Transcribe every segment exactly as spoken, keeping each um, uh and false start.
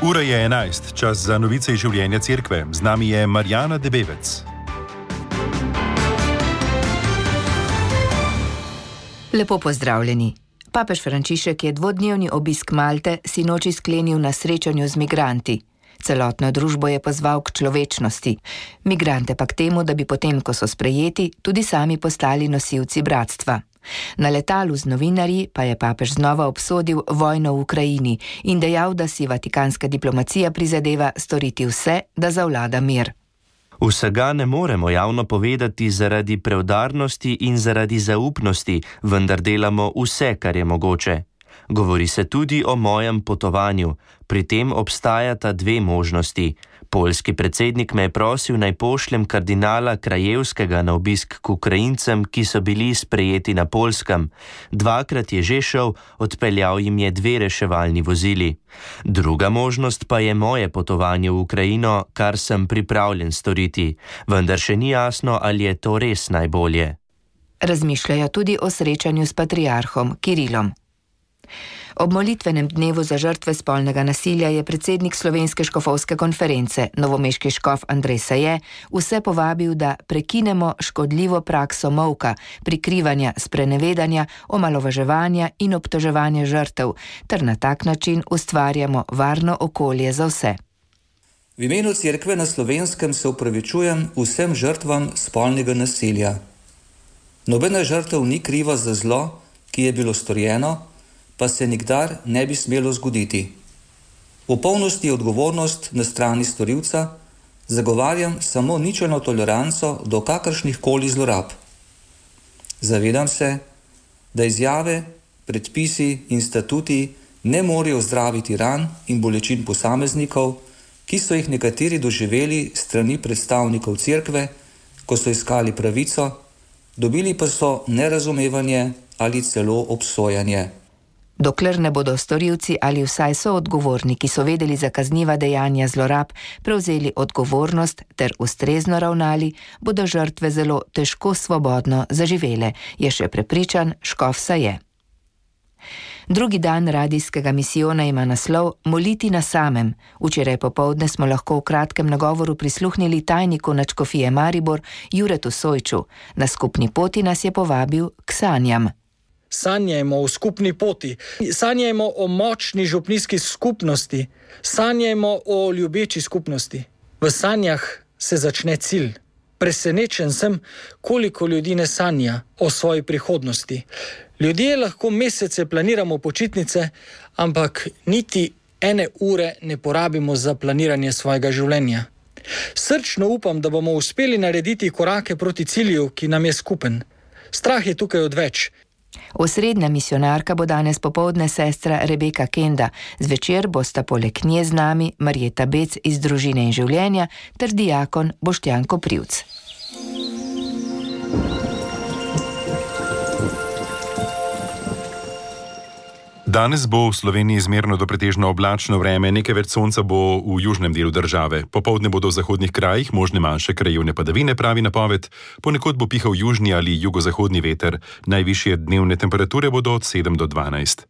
Ura je enajst, čas za novice iz življenja cerkve. Z nami je Marjana Debevec. Lepo pozdravljeni. Papež Frančišek je dvodnevni obisk Malte sinoči sklenil na srečanju z migranti. Celotno družbo je pozval k človečnosti. Migrante pa k temu, da bi potem, ko so sprejeti, tudi sami postali nosilci bratstva. Na letalu z novinarji pa je papež znova obsodil vojno v Ukrajini in dejal, da si vatikanska diplomacija prizadeva storiti vse, da zavlada mir. Vsega ne moremo javno povedati zaradi preudarnosti in zaradi zaupnosti, vendar delamo vse, kar je mogoče. Govori se tudi o mojem potovanju. Pri tem obstajata dve možnosti. Poljski predsednik me je prosil, naj pošljem kardinala Krajevskega na obisk k Ukrajincem, ki so bili sprejeti na Poljskem. Dvakrat je že šel, odpeljal jim je dve reševalni vozili. Druga možnost pa je moje potovanje v Ukrajino, kar sem pripravljen storiti. Vendar še ni jasno, ali je to res najbolje. Razmišljajo tudi o srečanju s patriarhom Kirilom. Ob molitvenem dnevu za žrtve spolnega nasilja je predsednik Slovenske škofovske konference, novomeški škof Andrej Saje, vse povabil, da prekinemo škodljivo prakso molka, prikrivanja, sprenevedanja, omalovaževanja in obtoževanja žrtev, ter na tak način ustvarjamo varno okolje za vse. V imenu Cerkve na Slovenskem se opravičujem vsem žrtvam spolnega nasilja. Nobena žrtev ni kriva za zlo, ki je bilo storjeno, pa se nikdar ne bi smelo zgoditi. V polnosti je odgovornost na strani storilca, zagovarjam samo ničelno toleranco do kakršnih koli zlorab. Zavedam se, da izjave, predpisi in statuti ne morejo zdraviti ran in bolečin posameznikov, ki so jih nekateri doživeli strani predstavnikov cerkve, ko so iskali pravico, dobili pa so nerazumevanje ali celo obsojanje. Dokler ne bodo storilci ali vsaj so odgovorni, ki so vedeli za kazniva dejanja zlorab, prevzeli odgovornost ter ustrezno ravnali, bodo žrtve zelo težko svobodno zaživele, je še prepričan škof Saje. Drugi dan radijskega misijona ima naslov Moliti na samem. Včeraj popoldne smo lahko v kratkem nagovoru prisluhnili tajniku nadškofije Maribor Juretu Sojču. Na skupni poti nas je povabil k sanjam. Sanjajmo o skupni poti, sanjajmo o močni župnijski skupnosti, sanjajmo o ljubeči skupnosti. V sanjah se začne cilj. Presenečen sem, koliko ljudi ne sanja o svoji prihodnosti. Ljudje lahko mesece planiramo počitnice, ampak niti ene ure ne porabimo za planiranje svojega življenja. Srčno upam, da bomo uspeli narediti korake proti cilju, ki nam je skupen. Strah je tukaj odveč. Osrednja misionarka bo danes popoldne sestra Rebeka Kenda. Zvečer bosta poleg nje z nami Marjeta Bec iz Družine in življenja ter diakon Boštjan Koprivc. Danes bo v Sloveniji zmerno do pretežno oblačno vreme, nekaj več sonca bo v južnem delu države. Popoldne bodo v zahodnih krajih možne manjše krajevne padavine, pravi napoved. Ponekod bo pihal južni ali jugozahodni veter. Najvišje dnevne temperature bodo od sedem do dvanajst.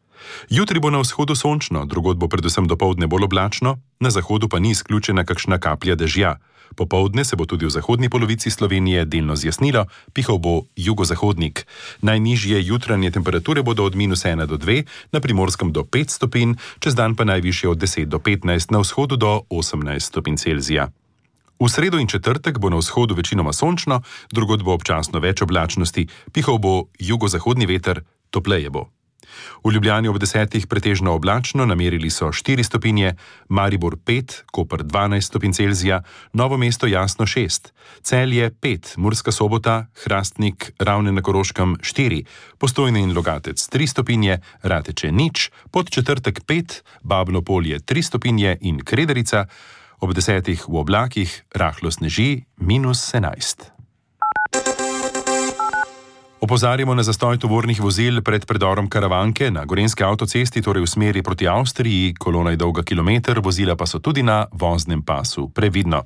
Jutri bo na vzhodu sončno, drugod bo predvsem dopoldne bolj oblačno, na zahodu pa ni izključena kakšna kaplja dežja. Popoldne se bo tudi v zahodni polovici Slovenije delno zjasnilo, pihal bo jugozahodnik. Najnižje jutranje temperature bodo od minus ena do dve, na Primorskem do pet stopinj, čez dan pa najvišje od deset do petnajst, na vzhodu do osemnajst stopinj Celzija. V sredo in četrtek bo na vzhodu večinoma sončno, drugod bo občasno več oblačnosti, pihal bo jugozahodni veter, topleje bo. V Ljubljani ob desetih pretežno oblačno, namerili so štiri stopinje, Maribor pet, Koper dvanajst stopinj Celzija, Novo mesto jasno šest, Celje pet, Murska Sobota, Hrastnik, Ravne na Koroškem štiri, Postojne in Logatec tri stopinje, Rateče nič, Podčetrtek pet, Babno Polje tri stopinje in Krederica, ob desetih v oblakih rahlo sneži minus enajst. Opozarjamo na zastoj tovornih vozil pred predorom Karavanke na Gorenjski avtocesti, torej v smeri proti Avstriji, kolona je dolga kilometer, vozila pa so tudi na voznem pasu. Previdno.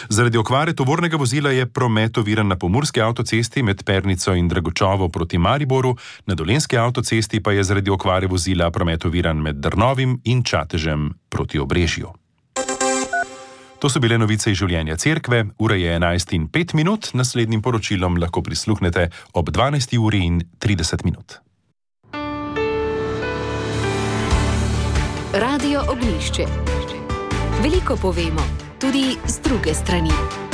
Zaradi okvare tovornega vozila je promet oviran na Pomurski avtocesti med Pernico in Dragočovo proti Mariboru, na Dolenjski avtocesti pa je zaradi okvare vozila promet oviran med Drnovim in Čatežem proti Obrežju. To so bile novice iz življenja cerkve, ura je enajst in pet minut, naslednjim poročilom lahko prisluhnete ob dvanajsti uri in trideset minut. Radio Ognjišče. Veliko povemo, tudi z druge strani.